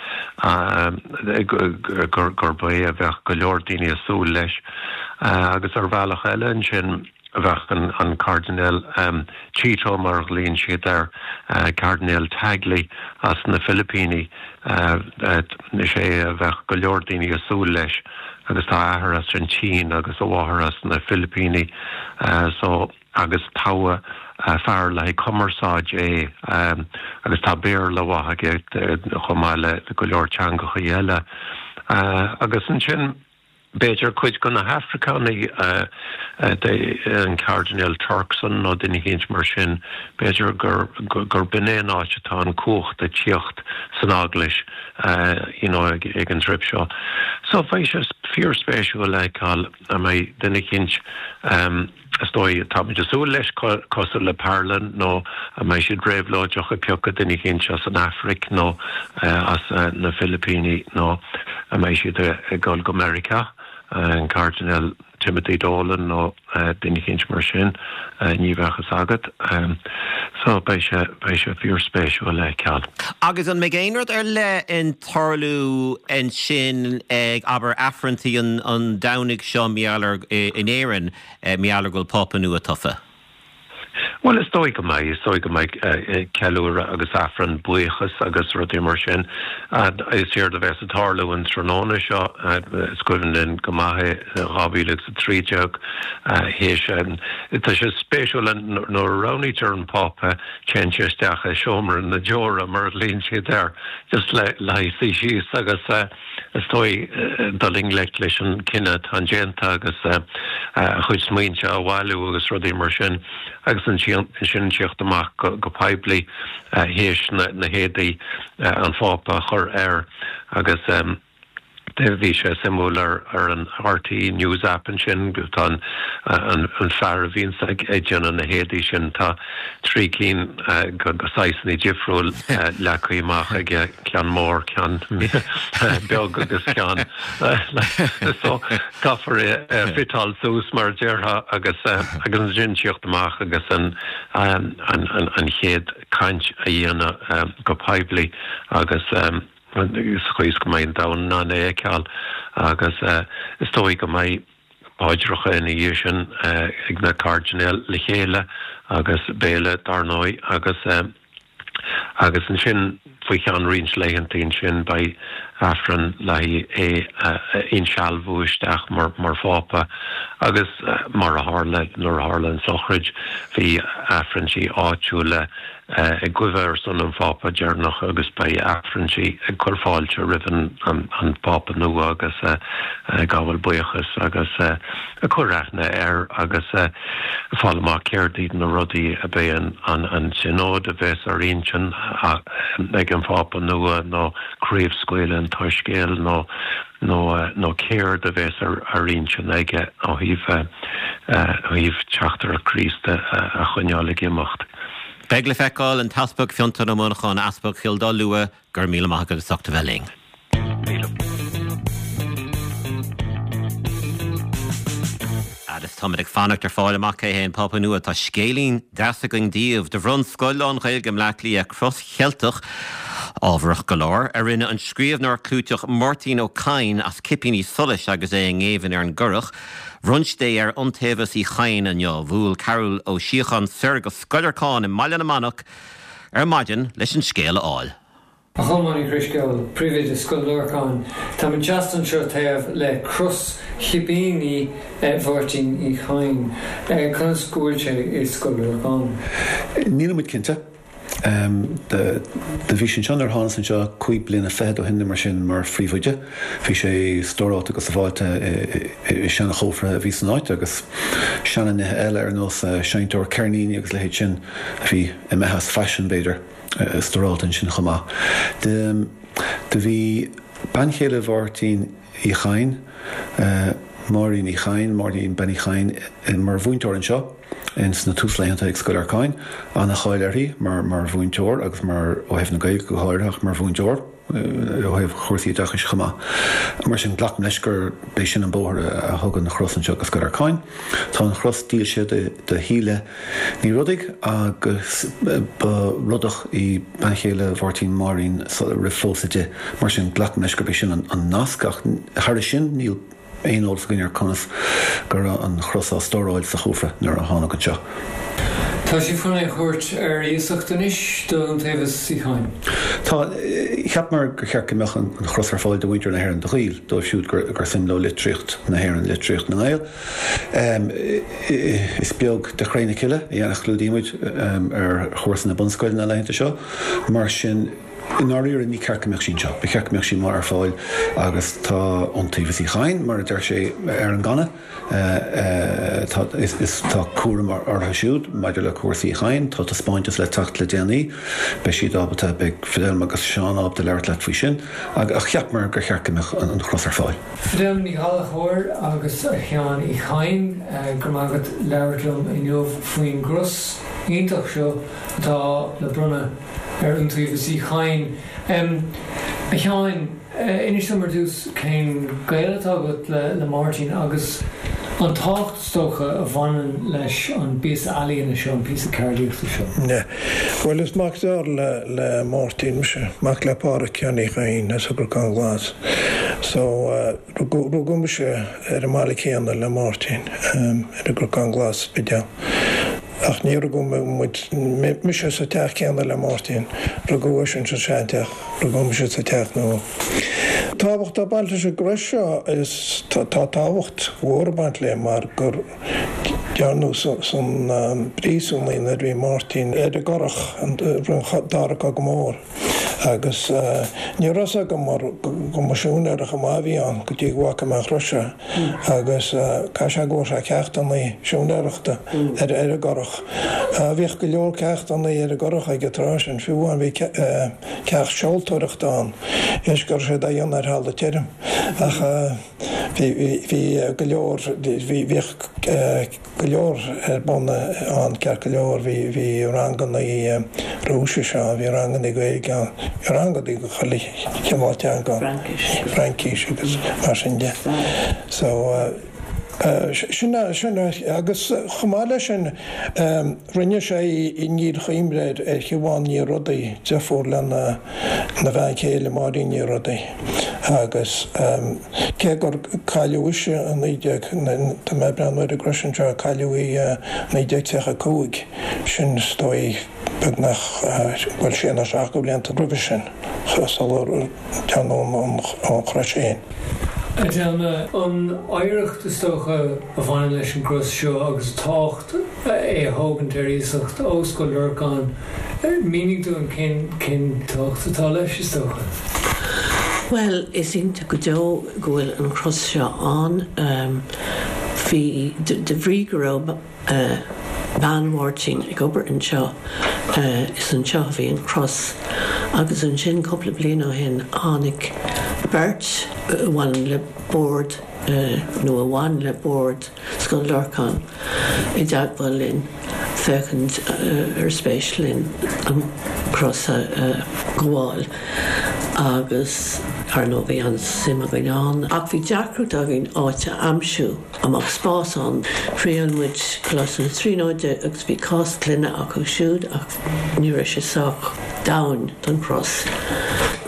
gurb é a bheadh go leor daoine ag súil leis. Agus ar bhealach eile ansin, bheadh an Cairdinéal Chito, mar a ghlaonn siad air, Cairdinéal Tagle as na Filipíní, is é a bheadh go leor daoine ag súil leis agus tá a athair as an tSín agus a mháthair as na Filipíní so agus toghadh fear le haghaidh cumarsáid é agus tá Béarla mhaith aige chomh maith le go leor teangachaí eile agus ansin. B'fhéidir cuid de na hAfricánaigh, an Cairdinéal Turkson nó duine eicínt mar sin, b'fhéidir gur b'in é an áit atá an cumhacht ag tíocht san Eaglais you know ag an trip seo. So bheidh sé fíorspéisiúil le feiceáil an mbeidh duine eicínt, Is dóigh, táimid ag súil leis, cosúil le Parolin, nó an mbeidh siad réabhlóideach ag piocadh duine eicínt as an Afraic nó as na Filipíní nó an mbeidh siad ag dul go Meiriceá, an Cairdinéal Timothy Dolan nó duine eicínt mar sin, ní bheadh fhios agat. So beidh sé, beidh sé fíorspéisiúil le feiceáil. Agus an mbeidh aon rud ar leith ag tarlú ansin ag, abair, Aifreanntaí an Domhnaigh seo, mar gheall ar, in Éirinn, mar gheall ar go bhfuil Pápa nua tofa? Bhuel, is dóigh go mbeidh. Is dóigh go mbeidh ceiliúradh agus Aifreann buíochas agus rudaí mar sin. Is éard a bheas ag tarlú an tráthnóna seo, is cuimhin linn go maith é, 2013, théis, tá sé spéisiúil nuair a roghnaítear an Pápa, téann sé isteach i seomra na deora, mar a ghlaonn siad air, just le haghaidh suí síos agus is dóigh dul i ngleic leis an cinneadh atá déanta agus a chuid smaointe a bhailiú agus rudaí mar sin agus ansin tíocht amach go poiblí théis na héadaí an Phápa a chur air agus Bhí sé suimiúil ar an RTÉ News App ansin, tá an fear a bhíonns ag déanamh na héadaí sin, tá 3 cinn de saghsanna difriúil leagtha amach aige, ceann mór, ceann beag agus ceann so caithfear é a fiteáil suas mar a déarfá agus agus ansin tíocht amach agus an an chéad caint a dhéanamh go poiblí agus sa chaoi is go mbeidh an domhan in ann é a fheiceáil agus is dóigh go mbeidh paidreacha ina dhiaidh sin ag na cairdinéil le chéile agus béile dar ndóigh agus agus ansin faoi cheann roinnt laethanta ansin beidh Aifreann le haghaidh é a insealbhú isteach mar mar Phápa agus mar a tharla nuair a tharla an sochraid bhí Aifrinntí áitiúla ag guibhe ar son an Phápa deireanach agus beidh Aifrinntí ag cur fáilte roimh an bPápa nua agus ag gabháil buíochas agus ag cur aithne air agus ag fáil amach céard iad na rudaí a beidh an Tionód a bheas ar intinn ag an Phápa nua nó craobhscaoileadh an tSoiscéil nó nó céard a bheas ar intinn aige ó thaobh thaobh teachtaireacht Chríost a choinneáil ag imeacht. Beidh le feiceáil, an tEaspag Fionntán Ó Monacháin, Easpag Chill Dá Lua, go raibh míle maith agat as ucht a bheith linn. Míle. Táimid ag fanacht ar fáil amach cé hé an Pápa nua. Tá scéilín deas againn daoibh. Do bhronn Scoil lán-Ghaeilge i mBleá Cliath cros Cheilteach, ámharach go leor, a rinne an scríbhneoir clúiteach Máirtín Ó Cadhain as cipíní solais agus é i ngéibheann ar an gCurrach. Bhronn siad é ar Iontaobhas Uí Chadhain inniu. Bhuail Carol Ó Síocháin soir go Scoil Lorcáin i mBaile na Manach ar maidin leis an scéal a fháil. A Cholmáin Uí Dhrisceoil, Príomhoide Scoil Lorcáin, táimid seasta anseo taobh le cros chipíní Mháirtín Uí Chadhain. Conas go bhfuil sé i Scoil Lorcáin? Nílimid cinnte. Do bhí sé anseo nuair a thánas anseo 25 bliana ó shin nó mar sin mar phríomhoide. Bhí sé stóráilte go sábháilte i seana-chófra a bhí san áit agus seana-nithe eile ar nós seinnteoir ceirníní agus leithéid sin a bhí imithe as faisean b'fhéidir. stóráilte ansin chomh maith. Do bhí bean chéile Mháirtín Uí Chadhain, Máirín Uí Chadhain, Máirín Bean Uí Chadhain, mar mhúinteoir anseo ins na túslaethanta ag Scoil Lorcáin. Ana-cháil uirthi mar mhúinteoir agus mar, ó thaobh na Gaeilge go háirithe ach mar mhúinteoir. ó thaobh chúrsaí oideachais chomh maith. Mar sin, glacaim leis gur b'é sin an bóthar a thug an chros anseo go Scoil Lorcáin. Tá an chros dílse do Shíle Ní Rodaigh agus ba Rodach í bean chéile Mháirtín, Máirín, roimh phósadh di. Mar sin, glacaim leis gurb é sin an nasc ach thairis sin níl aon eolas againn ar conas go raibh an chros á stóráil sa chófra nuair a thánag anseo. Tá sibh chun é a thabhairt ar iasacht anois d'Iontaobhas Uí Chadhain. Tá. Cheapamar gur cheart go mbeadh an chros ar fáil do mhuintir na hÉireann, do Ghaeil, dóibh siúd gur suim leo litríocht na hÉireann, litríocht na nGael. Is beag de Chré na Cille a chlúdaímid ar chúrsa na bunscoile na laethanta seo, mar sin, I ndáiríre, ní ceart go mbeadh sí anseo. Ba cheart go mbeadh sí amuigh ar fáil agus tá Iontaobhas Uí Chadhain, mar a deir sé ar an gcanna, tá, is, tá cúram orthu siúd maidir le cúrsaí Uí Chadhain. Tá taispeántas le teacht le déanaí. Beidh siad ábalta, beidh Fidelma agus Seán ábalta labhairt leat faoi sin. Ach cheapamar gur cheart go mbeadh an chros ar fáil. Fidelma Ní Ghallchóir agus a Sheáin Uí Chadhain, go raibh maith agat labhairt liom inniu faoin gcros iontach seo atá le bronnadh ar Iontaobhas Uí Chadhain. A Sheáin, inis dom ar dtús cén gaol atá agat le Máirtín agus an tábhacht is dócha a bhaineann leis an bpíosa ealaíne seo, an píosa ceardaíochta seo. Bhuel, is mac dearthár le Máirtín mise, mac le Pádhraic Sheáin Uí Chadhain as an gCnocán Glas. So, rugadh mise ar an mbaile céanna le Máirtín, ar an gCnocán Glas, Spidéal. Ach ní rugadh muid, mise sa teach céanna le Máirtín, rugadh eisean sa seanteach, rugadh mise sa teach nua. Tábhacht ag baint leis an gcrois seo is tá tábhacht mhór ag baint léi mar gur dearnadh san bpríosún í nuair a bhí Máirtín ar an gCurrach roimh an Dara Cogadh Mór. Agus ní raibh fhios agam mar go mba siúinéara chomh maith a bhí ann go dtí go bhfaca mé an chrois seo. Agus caithfidh sé go bhfuair sé ceachtanna siúinéireachta ar an gCurrach. Bhíodh go leor ceachtanna ar an gCurrach ag an tráth sin, fiú amháin bhí ceacht seoltóireachta ann, théis go raibh siad á dhéanamh ar thalamh tirim. Ach bhí go leor, bhíodh go leor ar bun ann ceart go leor. Bhí, bhí ranganna Rúisise ann, bhí ranganna Gaeilge ann, bhí ranganna de chuile chineál teanga ann, Fraincis agus mar sin de. So, sin, sin, agus chomh maith leis sin, rinne sé í i ndíl-chuimhne ar Shiobhán Ní Rodaigh, deirfiúr lena bhean chéile Máirín Ní Rodaigh agus Cé gur cailleadh ise i 19, tá mé ag breathnú ar an gcrois anseo, cailleadh í i 1935, sin is dóigh beagnach, bhuel sé nó seacht de bhlianta roimhe sin, sular dearnadh an chrois féin. Fidelma, an oidhreacht is dócha a bhaineann leis an gcros seo agus a tábhacht é a thógaint ar iasacht ó Scoil Lorcáin, Mínigh dúinn cén cén tábhacht atá leis, is dócha. Bhuel, is iontach go deo go bhfuil an chros seo ann. Bhí, de bhrí go raibh bean Mháirtín ag obair anseo, is anseo a bhí an chros. Agus ansin cúpla bliain ó shin tháinig beirt a bhaineann le bord, nó a bhain le bord, Scoil Lorcáin i dteagmháil linn féachaint ar spéis linn an cros a ghabháil agus. Ar ndóigh bhí an-suim againn ann ach bhí deacracht againn áit a aimsiú a mbeadh spás ann. Thriail muid Coláiste na Tríonóide agus bhí cás clainne acu siúd ach ní raibh sé sách domhain don chros.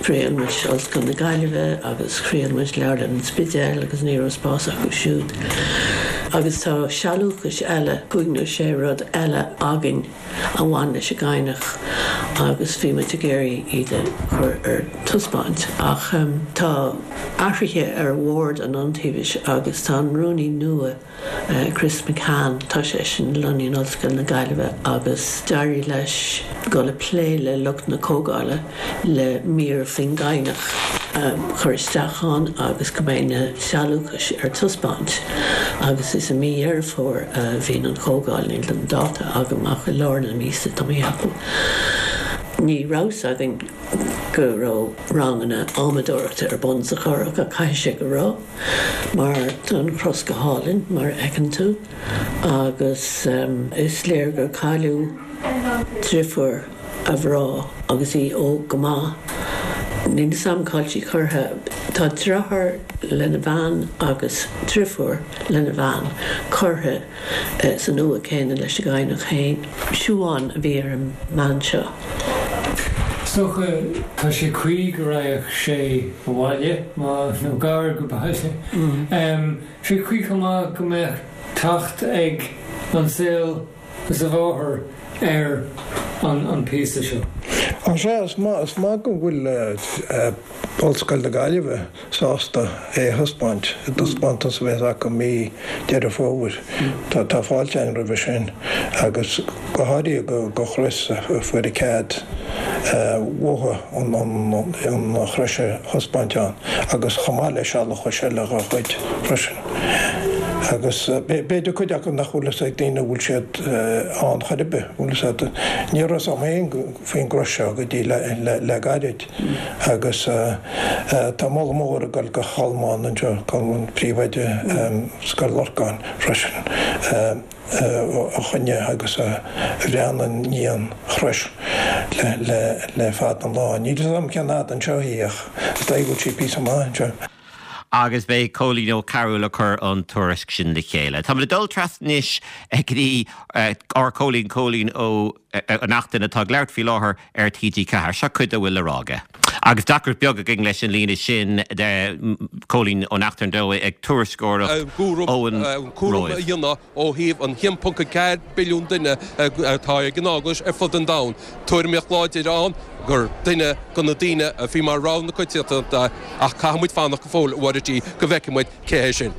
Thriail muid Ollscoil na Gaillimhe agus thriail muid Leabharlann an Spidéil agus ní raibh spás acu siúd. Agus tá sealúchais eile, cúig nó sé rud eile againn. a bhain leis an gCadhnach agus bhí muid ag iarraidh iad a chur ar taispeáint. Ach tá athruithe ar bhord an Iontaobhais agus tá an rúnaí nua, Chris McCann, tá seisean lonnaithe in Ollscoil na Gaillimhe agus d'éirigh leis dul ag plé le lucht na comhdhála le mír faoin gCadhnach a chur isteach ann agus go mbeidh na sealúchais ar taispeáint agus is i mí Dheireadh Fómhair a bhíonn an chomhdháil, níl an dáta agam ach i lár na míosa tá mé a cheapadh. Ní raibh 's againn go raibh ranganna adhmadóireachta ar bun sa Churrach ach caithfidh sé go raibh mar tá an chros go hálainn mar a fheiceann tú agus is léir gur cailleadh driofúr a mhná agus í óg go maith. Níl 'fhios a'm cá'il sí curtha. Tá deartháir lena bhean agus driofúr lena bhean curtha san uaigh céanna leis an gCadhnach féin. Siubhán a bhí ar an mbean seo. Is dócha tá sé cuí go raghadh sé abhaile, nó gar go baile. Sé cuí chomh maith go mbeadh teacht ag an saol is a mháthair ar an píosa seo. Á sea, is maith, is maith go bhfuil Ollscoil na Gaillimhe sásta é a thaispeáint i dtaispeántas a bheas acu mí Deireadh Fómhair. Tá fáilte againn roimhe sin agus go háirithe do Chris a fuair cead uathu an chrois a thaispeáint ann agus chomh maith le sealúchais eile dá chuid freisin. Agus b'fhéidir cuid acu nach bhfuil fhios ag daoine an bhfuil siad ann chor ar bith, bhfuil fhios agat. Ní raibh fhios agam féin faoin gcrois seo go dtí le gairid. Agus tá moladh mór ag dul go Cholmán anseo, Colmán, príomhoide Scoil Lorcáin freisin, a choinnigh agus a bhreathnaigh i ndiaidh an chrois le fada an lá. Níl fhios agam cén fhad anseo í ach is dóigh go bhfuil sí píosa maith anseo. Agus b'é Cóilín Ó Cearúil a chuir an tuairisc sin le chéile. Táimid ag dul trasna anois go dtí ár Cóilín, Cóilín Ó Neachtain atá ag labhairt faoi láthair ar TG4. Seo cuid dá bhfuil le rá aige. Agus deacracht beag againn leis an líne sin de Cóilín Ó Neachtain dó ag tuairisceoireacht ón cúram a dhéanamh ó thaobh an 1.4 billiún duine atá ag an Eaglais ar fud an domhain. Tuairimíocht láidir ann gur duine de na daoine a bhí mar rogha na coitiantachta ach caithfidh muid fanacht go fóill, a Mháire G, go bhfeicfidh muid cé hé sin.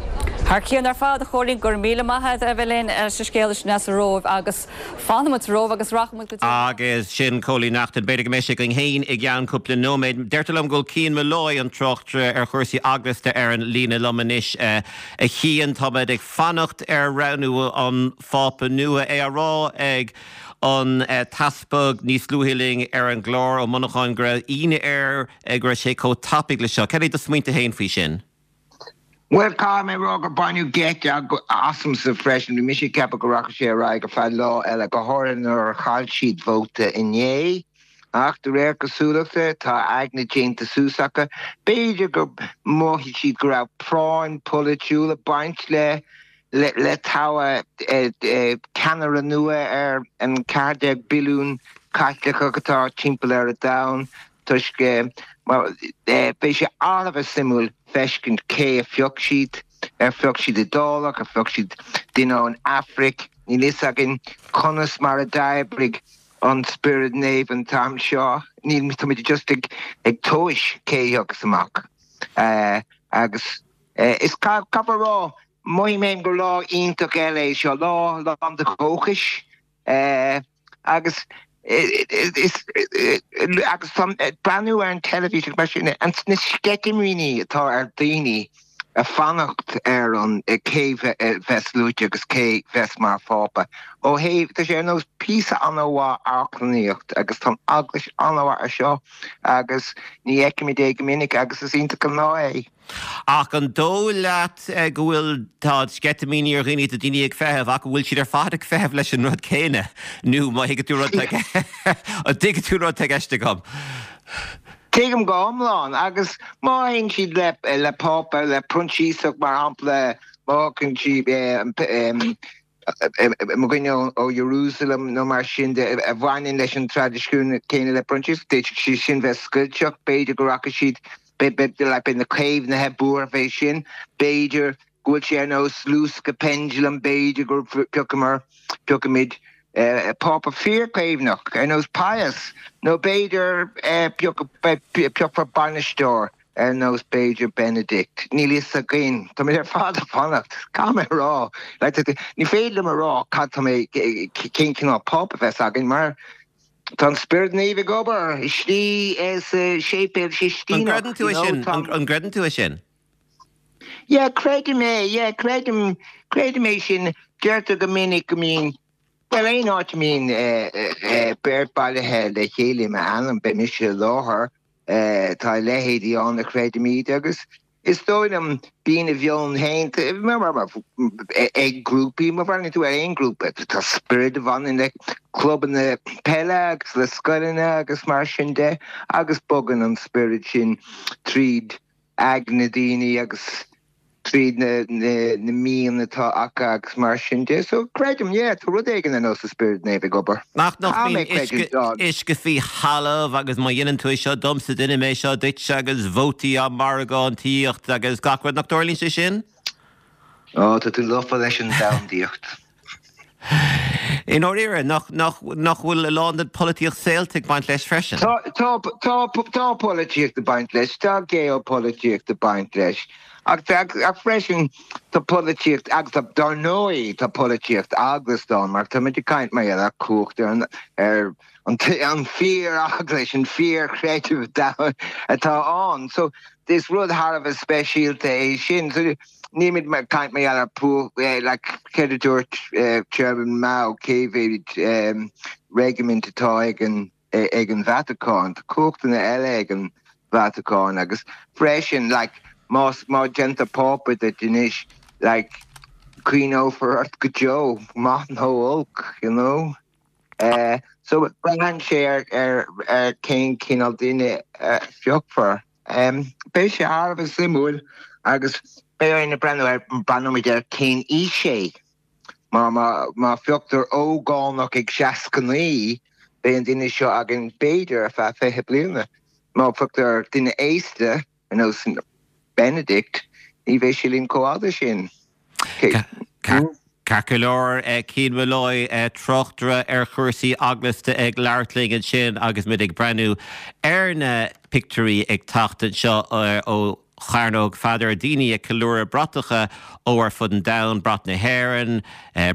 Thar cionn ar fad, a Chóilín, go raibh míle maith agat a bheith linn sa scéal sin as an Róimh agus fanfaidh muid sa Róimh agus rachaidh muid go dtí. Agus sin Cóilín Neachtain. B'fhéidir go mbeidh sé againn féin i gceann cúpla nóiméad. Deirtear liom go bhfuil Cian Molloy, an tráchtaire ar chúrsaí eaglasta ar an líne liom anois. A Chian, táimid ag fanacht ar roghnú an Phápa nua. É á rá ag an tEaspag níos luaithe linn ar an gclár, Ó Monacháin, go raibh ionadh air go raibh sé chomh tapaidh le seo. Cad é do smaointe féin faoi sin? Bhuel, caithfidh mé a rá gur baineadh geit asamsa freisin. Bhí mise ag ceapadh go rachadh sé ar aghaidh ar feadh lá eile, go háirithe nuair a chaill siad vóta inné. Ach de réir cosúlachta, tá a aigne déanta suas acu. B'fhéidir gur mhothaigh siad go raibh práinn pholaitiúil ag baint le le toghadh ceannaire nua ar an 14 billiún Caitliceach atá timpeall ar an domhan toisc beidh sé thar a bheith suimiúil feiscint cé a phioc siad, ar phioc siad Iodálach, ar phioc siad duine ón Afraic, níl fhios againn conas mar a d'oibrigh an Spiorad Naomh an t-am seo, níl, táimid just ag ag tomhais cé a thiocfas amach agus is caithfear a rá Mothaím féin gur lá iontach eile é seo, lá lán de dhóchais agus is agus breathnú ar an teilifís agus mar sin, na sceitimíní atá ar daoine ag fanacht ar an cé bheas luaite agus cé bheas mar phápa. Ó thaobh, tá sé ar nós píosa an-mhaith amharclannaíocht agus tá an eaglais an-mhaith ar seo agus ní fheicimid é go minic agus is iontach an lá é. Ach an dóigh leat go bhfuil, tá sceitimíní ar dhaoine, tá daoine ag feitheamh, ach an bhfuil siad ar fad ag feitheamh leis an rud céanna? Nó má thuigeann tú rud, an dtuigeann tú rud atá i gceist agam? Tuigim go hiomlán, agus má théann siad le le Pápa, le Proinsiasach mar shampla, má thiocann siad mo dhuine ó Jerusalem nó mar sin de a bhaineann leis an traidisiún céanna le Proinsias, d'fhéadfadh sé sin bheith scoilteach, b'fhéidir go rachaidh siad, beidh na caomhnaithe buartha fé sin, b'fhéidir go bhfuil sé ar nós luascadh pendulum, b'fhéidir go piocamar, piocfaimid Pápa fíorchaomhnach ar nós Pius, nó b'fhéidir piocfar bainisteoir ar nós b'fhéidir Benedict. Níl fhios againn. Táimid ar fad ag fanacht. Caithfidh mé a rá, ní féidir liom a rá cad tá mé, cén cineál Pápa a bheas againn mar tá an Spiorad Naomh ag obair istigh sa Séipéal Sistíneach. An gcreideann tú é sin? An gcreideann tú é sin? Yeah, creidim é, yeah, creidim, creidim é sin. Deirtear go minic go mbíonn, bhuel, aon áit a mbíonn beirt bailithe le chéile i m'ainm, beidh mise i láthair. Tá a leithéidí ann a chreidimid agus is dóigh liom bíonn a mheon féin ag grúpaí, má bhreathnaíonn tú ar aon ghrúpa, tá spiorad a bhaineann le clubanna peile agus le scoileanna agus mar sin de agus bogann an spiorad sin tríd aigne daoine agus tríd na mian atá acu agus mar sin de. So creidim, yeah, tá rud éigin ar nós an Spiorad Naomh ag obair. Ach nach mbíonn uisce faoi thalamh agus má dhéanann tú é seo domsa déanfaidh mé seo duit agus vótaí á margántaíocht agus gach rud, nach dtarlaíonn sé sin? Ó, tá tú lofa leis an domhandaíocht. I ndáiríre, nach bhfuil a lán den pholaitíocht saolta ag baint leis freisin? Tá, tá, tá, tá polaitíocht ag baint leis, tá geopolaitíocht ag baint leis. Ach, ach freisin, tá polaitíocht, agus tá, dar ndóigh, tá polaitíocht eaglasta ann, mar táimid ag caint mar gheall ar cumhacht ar an, ar an, an fíor-eaglais, an fíor-chreideamh atá ann. So, is rud thar a bheith speisialta é sin. So, Nílimid ag caint mar gheall ar púach, like, céard a dúirt Chairman Mao, cé mhéad regiment atá ag an ag an Vatacáin? Tá cumhachtanna eile ag an Vatacáin agus freisin, like, más má déantar Pápa duit anois, like, cuimhneofar ort go deo, maith nó olc, you know? So braitheann sé ar ar ar cén cineál duine a phiocfar. Beidh sé thar a bheith suimiúil agus beidh orainn breathnú ar, breathnóimid ar cén aois é. Má, má, má phioctar ógánach ag 69, beidh an duine seo againn b'fhéidir ar feadh 20 bliana. Má phioctar duine aosta, ar nós Benedict, ní bheidh sé linn chomh fhada sin. Ceart go leor, Cian Molloy, tráchtaire ar chúrsaí eaglasta ag labhairt linn ansin agus muid ag breathnú ar na pictiúirí ag teacht anseo ó Chearnóg Pheadair, daoine ag ceiliúradh bratacha ó ar fud an domhain, brat na hÉireann,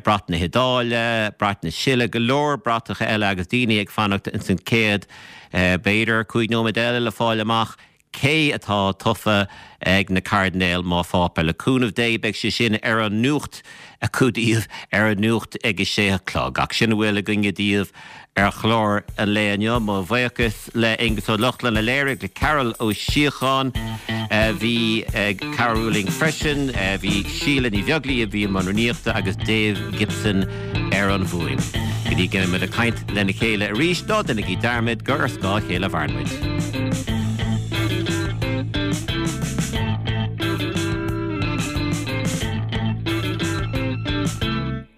brat na hIodáile, brat na Sile, go leor bratacha eile agus daoine ag fanacht ins an chéad, b'fhéidir, 5 nóiméad eile le fáil amach Cé atá tofa ag na cairdinéil mar phápa? Le cúnamh Dé beidh sé sin ar an nuacht acu daoibh ar an nuacht ag a sé a chlog. Ach sin a bhfuil againne daoibh ar chlár an lae inniu. Mo bhuíochas le Aonghus Ó Lochlainn a léirigh, le Carol Ó Síocháin a bhí ag cabhrú linn freisin. Bhí Síle Ní Bheaglaoí a bhí i mbun rúnaíochta agus Dave Gibson ar an bhfuaim. Go dtí go mbeimid ag caint lena chéile arís, ná déanaigí dearmad gur ar scáth a chéile a mhaireann muid.